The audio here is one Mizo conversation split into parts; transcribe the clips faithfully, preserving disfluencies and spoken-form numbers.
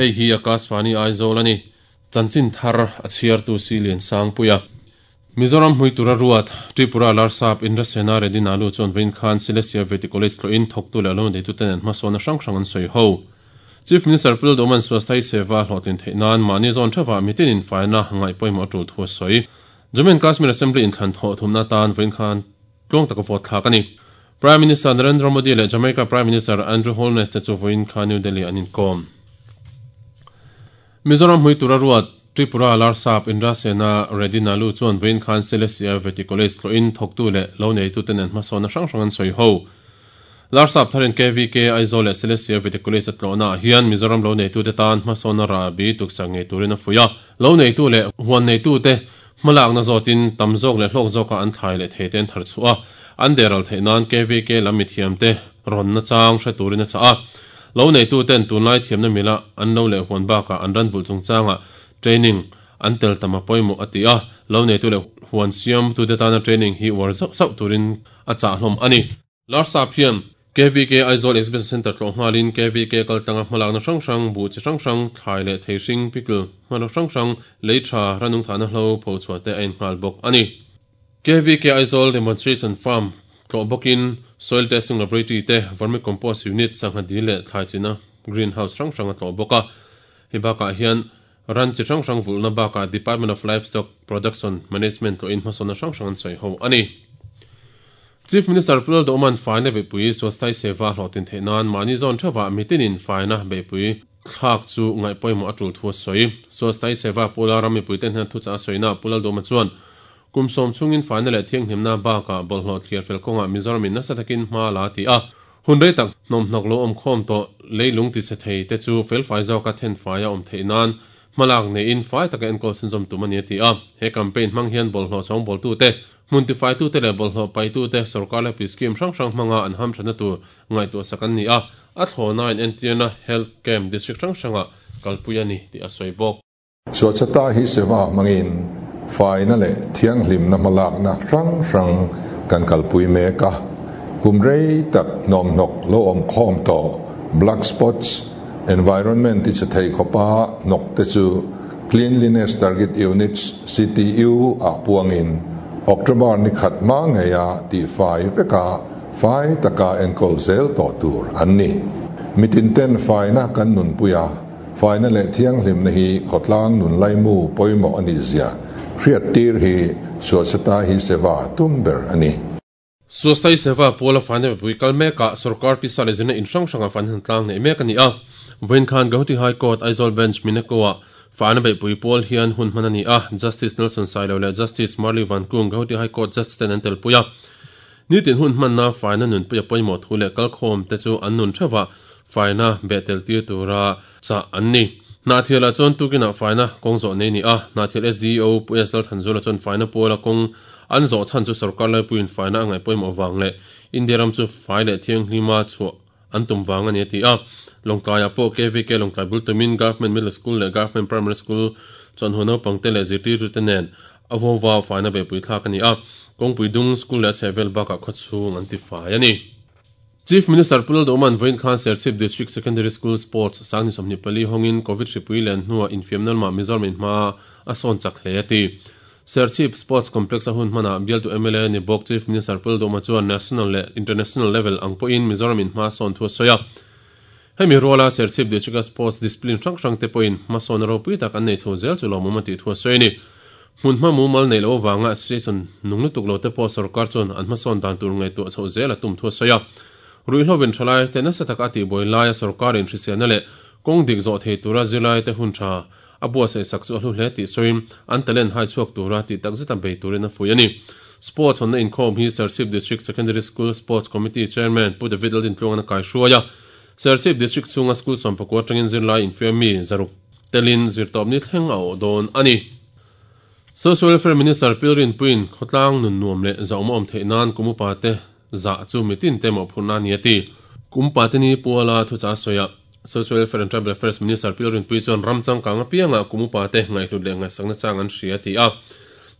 Hei hi Akashvani Aizawl ani. Chanchin thar a chhiar tu si lian sang puia. Mizoram hmuitura ruat Tripura Larsap Indrasena Reddy Nalu chuan vawiin khan Silesia Vety College tlawhin thawktu leh lo neitu ten an hmasawn a hrang hrang an sawi ho. Chief Minister Pu Lalduhoma'n Swasthya Seva hlawhtlin theih nan mahni zawn theuhah mitinin faina ngaih pawimawh a tul thu a sawi. Jammu and Kashmir Assembly inthlan thawh thumna atan vawiin khan tluang taka vote thlak a ni. Prime Minister Narendra Modi leh Jamaica Prime Minister Andrew Holness te chu vawiin khan New Delhi an inkawm. Mizoram hmuitura ruat Tripura Larsap Indrasena Reddy Nalu chuan vawiin khan Silesia Vety College tlawhin thawktu leh lo neitu ten an hmasawn a hrang hrang an sawi ho. Larsap tharin K V K Aizawl leh Silesia Vety College a tlawhna ah hian Mizoram lo neitu te tan hmasawn a rabi tuksak ngei turin a fuih a. Lo neitu leh huan neitu te hmalakna zawtin tam zawk leh hlawk zawka an thlai leh thei te an thar chhuah a. An deral theih nan K V K lam mithiam te rawnna chang hre turin a chah a. Lo neitu ten tunlai thiamna mila an lo leh huan bakah an ran vulh chungchangah training an tel tam a pawimawh a ti a. Lo neitu leh huan siam tu te tana training hi uar zauh zauh turin a chah hlawm a ni. Larsap hian K V K Aizawl Exhibition Centre tlawh nghalin K V K kaltlanga hmalakna hrang hrang bu chi hrang hrang thlai leh thei hring pickle hmanraw hrang hrang lei tha ranung thahna hlo pho chhuah te a innghal bawk a ni. K V K Aizawl Demonstration Farm tlawh bawkin Soil Testing Laboratory te Vermicompost Unit sangha dil leh thlai china greenhouse hrang hrang a tlawh bawk a. Hei bakah hian ran chi hrang hrang vulhna bakah Department of Livestock Production Management tlawhin hmasawnna hrang hrang an sawi ho a ni. Chief Minister Pu Lalduhoma'n faina beihpui Swasthya Seva hlawhtlin theih nan mahni zawn theuhah mitinin faina beihpui thlak chu ngaih pawimawh a tul thu a sawi. Swasthya Seva Pula ram mipui ten hian thuchah a sawina Pu Lalduhoma chuan kum sawm chungin faina leh thianghlimna bakah bawlhhlawh thliar fel kawngah Mizoram in nasa takin hma la ti a. Hun rei tak hnawmhnawk lo awm khawm tawh leilung ti che thei te chu felfai zawka then fai a awm theih nan hmalak neiin fai taka enkawl chhunzawm tum a ni a ti a. He campaign hmang hian bawlhhlawh chhawng bawltu te hmun tifai tu te leh bawlhhlawh pai tu te sarkar leh pi scheme hrang hrang hmanga an ham thana tur ngaihtuah sak an ni a. A thlawna in entirna health camp district hrang hrangah kalpui a ni tih a sawi bawk. Swachhata Hi Seva hmangin faina leh thianghlimna hmalakna hrang hrang kan kalpui mek a. Kum rei tak hnawmhnawk lo awm khawm tawh black spots environment ti che thei khawpa hnawk te chu Cleanliness Target Units C T U ah puangin October ni khat hma ngeia ti fai veka fai taka enkawl zel tawh tur an ni. Mitin ten faina kan nun puia faina leh thianghlimna hi khawtlang nun laimu pawimawh ani zia hriat tir hi Swachhata Hi Seva tum ber ani. Swasthya Seva Pula faina beihpui kal mekah sarkar pisa leh zirna in hrang hranga faina han tlang nei mek ani a. Vawiin khan Guwahati High Court Aizawl Bench Mineko-ah faina beihpui pawl hian hun hman ani a. Justice Nelson Sailo leh Justice Marley Van Kung Guwahati High Court Judge ten an tel pui a. Nitin hun hmanna faina nun puia pawimawh thu leh kalkhawm te chu an nun theuhah faina behtel tir tura chah an ni. Hnahthialah chuan tukinah faina kawng zawh nei ni a. Hnahthial S D O Pu S Lal Thanzula chuan faina pawla kawng an zawh chhan chu sarkar laipuiin faina a ngaih pawimawh vang leh India ram chu fai leh thianghlima chhuah an tum vang ani a ti a. Lawngtlaiah pawh K V K Lawngtlai bul tumin Government Middle School leh Government Primary School chuan huan naupang te leh zirtirtu te nen a huawa faina beihpui thlak ani a. Kawngpui dung school leh a chhehvel bakah khawchhung an ti fai ani. Chief Minister Pu Lalduhoma'n vawiin khan Serchhip District Secondary School Sports sangni sawmhnih pali hawngin Covid hripui len hnuah infiamna lamah Mizoram in hma a sawn chak hle a ti. Serchhip Sports Complex a hun hmanah bialtu M L A ni bawk Chief Minister Pu Lalduhoma chuan national leh international level ang pawhin Mizoram in hma sawn thu a sawi a. Hemi ruala Serchhip District Sports discipline hrang hrang te pawhin hma sawn ropui tak an nei chho zel chu lawmawm a tih thu a sawi a ni. Hmun hma mumal nei lo wanga association nung lutuk lo te pawh sarkar chuan an hma sawn dan tur ngaihtuah chho zel a tum thu a sawi a. Ruihhlovin thalai te nasa taka a tihbuai laia sarkar in hriselna leh kawng dik zawh thei tura zirlai te hun tha a buatsaih sak chu a hlu hle tih sawiin an talent hai chhuak tura tih tak zeta bei turin a fuih a ni. Sports hawnna inkhawm hi Serchhip District Secondary School Sports Committee Chairman Pu David Laldin tluangan a kai hruai a. Serchhip District chhunga school sawmpakua atangin zirlai infiam mi zaruk telin zirtawp ni thleng a awh dawn a ni. Social Welfare Minister Pilrin Puin khawtlang nun nuam leh zawm awm theih nan kumupa te za chu mitin te mawh phurna ni a ti. Kumpa te ni puala thucha sawi a. Social Welfare and Tribal Affairs Minister Pilrin Pui chuan ramchang kang apianga kumupa te ngaihhlut leh ngaihsakna chang an hria ti a.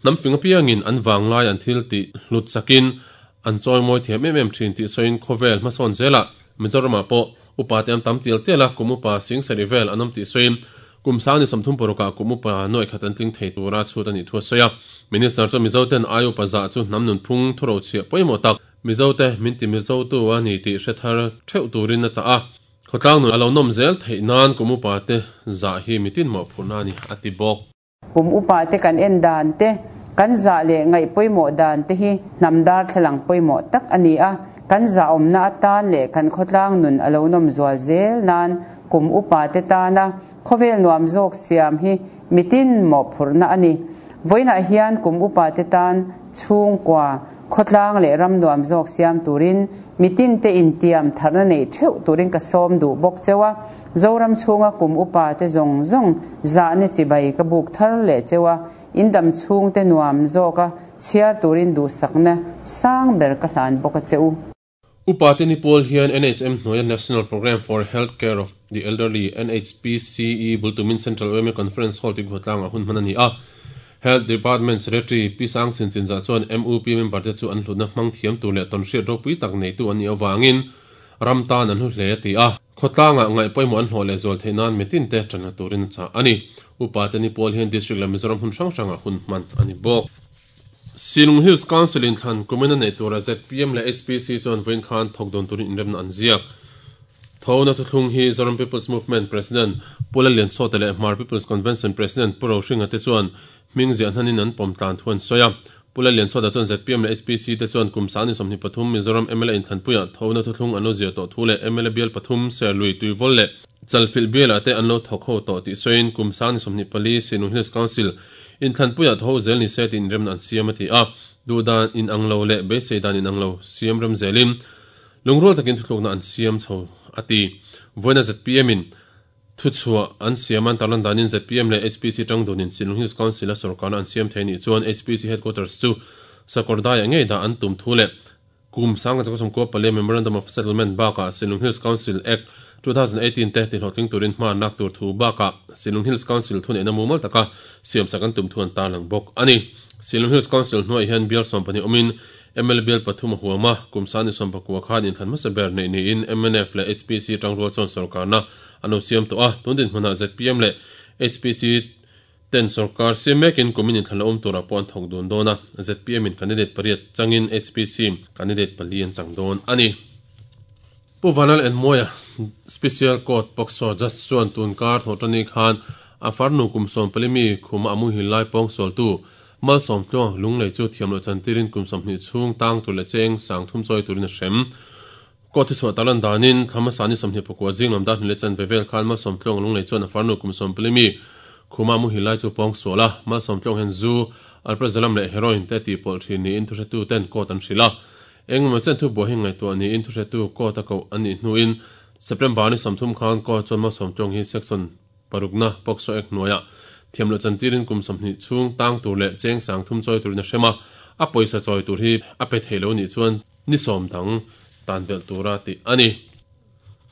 Hnam fing apiangin an wanglai an thil ti hlut sakin an chawi mawi thiam em em thin tih sawiin khawvel hmasawn zelah Mizoramah pawh Upa te an tam tial tial a, kum upa sing sarih vel an awm tih sawiin kum sang ni sawmthum parukah kum upa nuai khat an tling thei tura chhut a nih thu a sawi a. Minister chuan Mizo ten ai upa zah chu hnam nunphung thurochhiah pawimawh tak Mizo te min ti Mizo tu a ni tih hre thar theuh turin a chah a. Khawtlang nun a lo nawm zel theih nan kum upa te zah hi mitin mawhphurhna a ni a ti bawk. Kum upa te kan en dan te, kan zah leh ngaih pawimawh dan te hi hnam darthlalang pawimawh tak a ni a. Kan zah awmna atan leh kan khawtlang nun a lo nawm zual zel nan kum upa te tana khawvel nuam zawk siam hi mitin mawhphurhna a ni. Vawiinah hian kum upa te tan chhungkua khawtlang leh ram nuam zawk siam turin mitin te intiam tharna nei theuh turin ka sawm duh bawk cheu a. Zoram chhunga kum upa te zawng zawng zahna chibai ka buk thar leh cheu a, indam chhung te nuam zawka chhiar turin duhsakna sang ber ka hlan bawk a cheu. Upa te ni pawl hian N H M hnuaia National Programme for Health Care of the Elderly N H P C E bultumin Central U M A Conference Hall ti khawtlangah hun hman a ni a. Health Department Secretary Pi Sang Chin Chin Zah chuan M U P member te chu an hlutna hmang thiam tur leh tawnhriat ropui tak neitu an nih avangin ram tan an hlu hle a ti a. Khawtlangah ngaih pawimawh an hlawh leh zual theih nan mitin te tanna turin a chah a ni. Upa te ni pawl hian district leh Mizoram hun hrang hrangah hun hman a ni bawk. Shillong Hills Council in thlan kumin a nei tura Z P M leh H P C chuan vawiin khan thawk dawn turin inremna an ziak. Thona thuthlung hi Zoram People's Movement President Pu Lalliansawta leh Hmar People's Convention President Pu Rohringa te chuan hming ziah hnanin an pawm tlan thu an sawi a. Pu Lalliansawta chuan Z P M leh H P C te chuan kum sang ni sawmhnih pathum Mizoram M L A inthlanpuiah thona thuthlung an lo ziah tawh thu leh M L A bial pathum Serlui Tuivawl leh Chalfilh bialah te an lo thawk ho tawh tih sawiin kum sang ni sawmhnih pali Shillong Hills Council inthlanpuiah tho zel ni se tih inremna an siam a ti a. Duhdan in ang lo leh beisei dan in ang lo siam rem zelin lungrual takin thuthlukna an siam chho a ti. Vawiina Z P M in thuchhuah an siam an tarlan danin Z P M leh H P C tangdunin Shillong Hills Council a sorkarna an siam thei nih chuan H P C headquarters chu Sakawrdaiah ngei dah an tum thu leh kum sanga chakawsawmkua pali Memorandum of Settlement bakah Shillong Hills Council Act two thousand eighteen te tihlawhtling turin hma nak tur thu bakah Shillong Hills Council thuneihna mumal taka siam sak an tum thu an tarlang bawk a ni. Shillong Hills Council hnuai hian bial sawm pahnih awmin M L A bial pathum a huam a, kum sang ni sawm pakua khan inthlan hmasa ber nei niin M N F leh H P C tangrual chuan sorkarna an lo siam tawh a. Tun dinhmunah Z P M leh H P C ten sorkar siam mekin kumin inthlan la awm turah pawh an thawk dun dawn a. Z P M in candidate pariat changin H P C candidate pali an chang dawn a ni. Pu Vanlal Enmawia Special Court POCSO Judge chuan tun kar thawh tani khan a farnu kum sawm pali mi khuma a muhil lai pawng sual tu mal sawm tluang lunglei chu thiam loh chantirin kum sawmhnih chhung tang tur leh cheng sang thum chawi turin a hrem. Court hi chhuah tarlan danin thlama sani sawmhnih pakua zing lam dar hnih leh chan ve vel khan mal sawm tluang lunglei chuan a farnu kum sawm pali mi khuma muhil lai chu pawng sual a. Mal sawm tluang hian zu alprazolam leh heroin te tih pawlh thin niin thuhretu ten court an hrilh a. Engemaw chen thu buai hi ngaihtuah niin thuhretu court a koh an nih hnuin September ni sawmthum khan court chuan mal sawm tluang hi section parukna POCSO Act hnuaiah thiam loh chantirin kum sawmhnih chhung tang tur leh cheng sang thum chawi turin a hrem a. A pawisa chawi tur hi a pe thei lo nih chuan ni sawm dang tan belh tura tih a ni.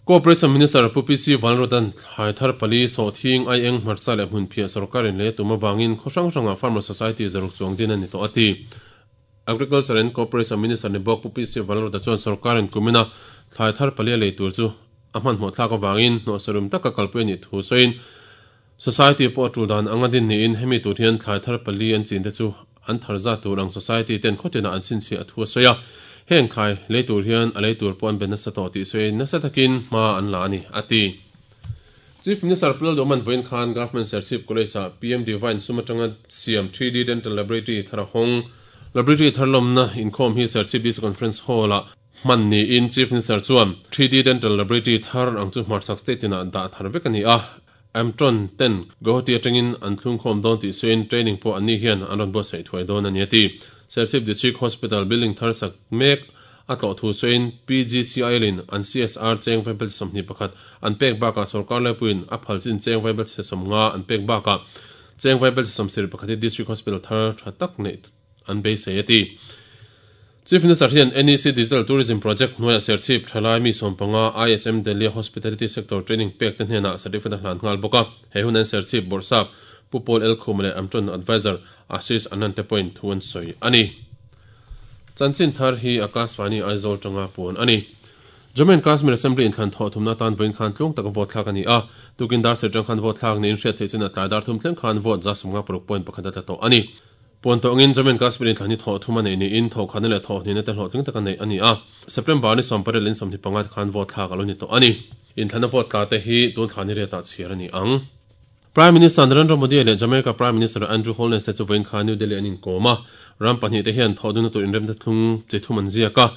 Cooperation Minister Pu P C Vanrodan thlai thar pali sawhthing ai eng hmarcha leh hmun phiah sorkarin le tum awangin khaw hrang hranga Farmer Society zaruk chuang din a ni tawh a ti. Agriculture and Cooperation Minister ni bawk Pu P C Vanroda chuan sorkarin kumina thlai thar pali a lei tur chu a hmanhmawh thlak awangin hnawh sarum taka kalpui a nih thu sawiin Society pawh a tul dan anga din niin hemi tur hian thlai thar pali an chin te chu an thar za tur ang society ten khawtinah an chhinchhiah a thu a sawi a. Heng thlai lei tur hian a lei tur pawh an ben nasa tawh tih sawiin nasa takin hma an la a ni a ti. Chief Minister Pu Lalduhman vawiin khan Government Serchhip College ah P M Divine sum atanga siam three D Dental Laboratory thar a hawng. Laboratory thar lawmna inkhawm hi Serchhip D C Conference Hall ah hman niin Chief Minister chuan three D Dental Laboratory thar ang chu hmarchhak state inah dah thar vek a ni a. Amtron ten Guwahati atangin an thlung khawm dawn tih sawiin training pawh an ni hian an rawn buatsaih thuai dawn a ni a ti. Serchhip District Hospital building thar sak mek a tlawh thu sawiin P G C I L in an C S R cheng vaibel sawmhnih pakhat an pek bakah sorkar laipuiin a phal chin cheng vaibel sawm nga an pek bakah cheng vaibel sawm sarih pakhat hi District Hospital thar tha tak nei an beisei a ti. Chief Minister hian N E C Digital Tourism Project hnuaiah Serchhip Thalai mi sawmpanga I S M Delhi Hospitality Sector Training pek te hnenah certificate a hlan nghal bawk a. He hun an Serchhip Bawrhsap Pu Paul L Khum leh Amtron Advisor Ashish Anand te pawhin thu an sawi a ni. Chanchin thar hi Akashvani Aizawl tanga puan a ni. Jammu and Kashmir Assembly inthlan thawh thumna tan vawiin khan tlung taka vote thlak a ni a, tukin dar sarih atang khan vote thlak niin hriat theih chin a tlai dar thum thleng khan vote za sawmnga paruk point pakhat a tla tawh a ni. Puan tawh angin Jammu and Kashmir inthlan hi thawh thum a neih niin thawh khatna leh thawh hnihna te hlawhtling taka neih a ni a, September ni sawm pariat leh in sawmhnih panga te khan vote thlak a lo ni tawh a ni. Inthlana vote tla te hi tun thla ni riatah chhiar a ni ang. Prime Minister Narendra Modi leh Jamaica Prime Minister Andrew Holness te chu vawiin khan New Delhi an inkawm a, ram pahnih te hian thawh dunna tur inremna thlung chi thum an ziak a.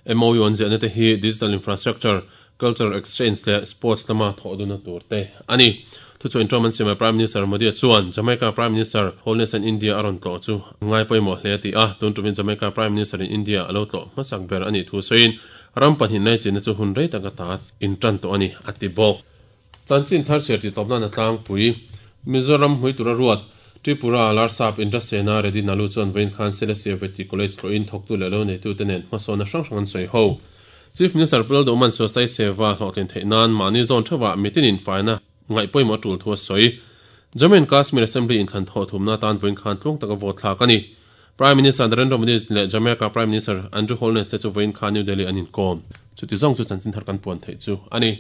M O U an ziahna te hi digital infrastructure, cultural exchange leh sports lama thawh dunna tur te a ni. Thuchhuah inṭawm an siamah Prime Minister Modi chuan Jamaica Prime Minister Holness an India a rawn tlawh chu ngai pawimawh hle a ti a, tun tumin Jamaica Prime Minister in India a lo tlawh hmasak ber a nih thu sawiin ram pahnih nai chinna chu hun rei tak ata inṭan tawh a ni a ti bawk. Chanchin thar chhiar tih tawp nan a tlangpui. Mizoram hmui tura ruat Tripura Larsap Indrasena Reddy Nallu chuan vawiin khan Silesia Vety College tlawhin thawktu leh lo neitute nen hmasawnna hrang hrang an sawi ho. Chief Minister Pu Lalduhman Swasthai Seva hlawhtlin theih nan mahni zawn theuhah mitinin faina ngaih pawimawh a tul thu a sawi. Jammu and Kashmir Assembly inthlan thawh thumna atan vawiin khan tluang taka vote thlak a ni. Prime Minister Narendra Modi leh Jamaica Prime Minister Andrew Holness te chu vawiin khan New Delhi an inkawm. Chuti zawng chu chanchin thar kan puan theih chu a ni.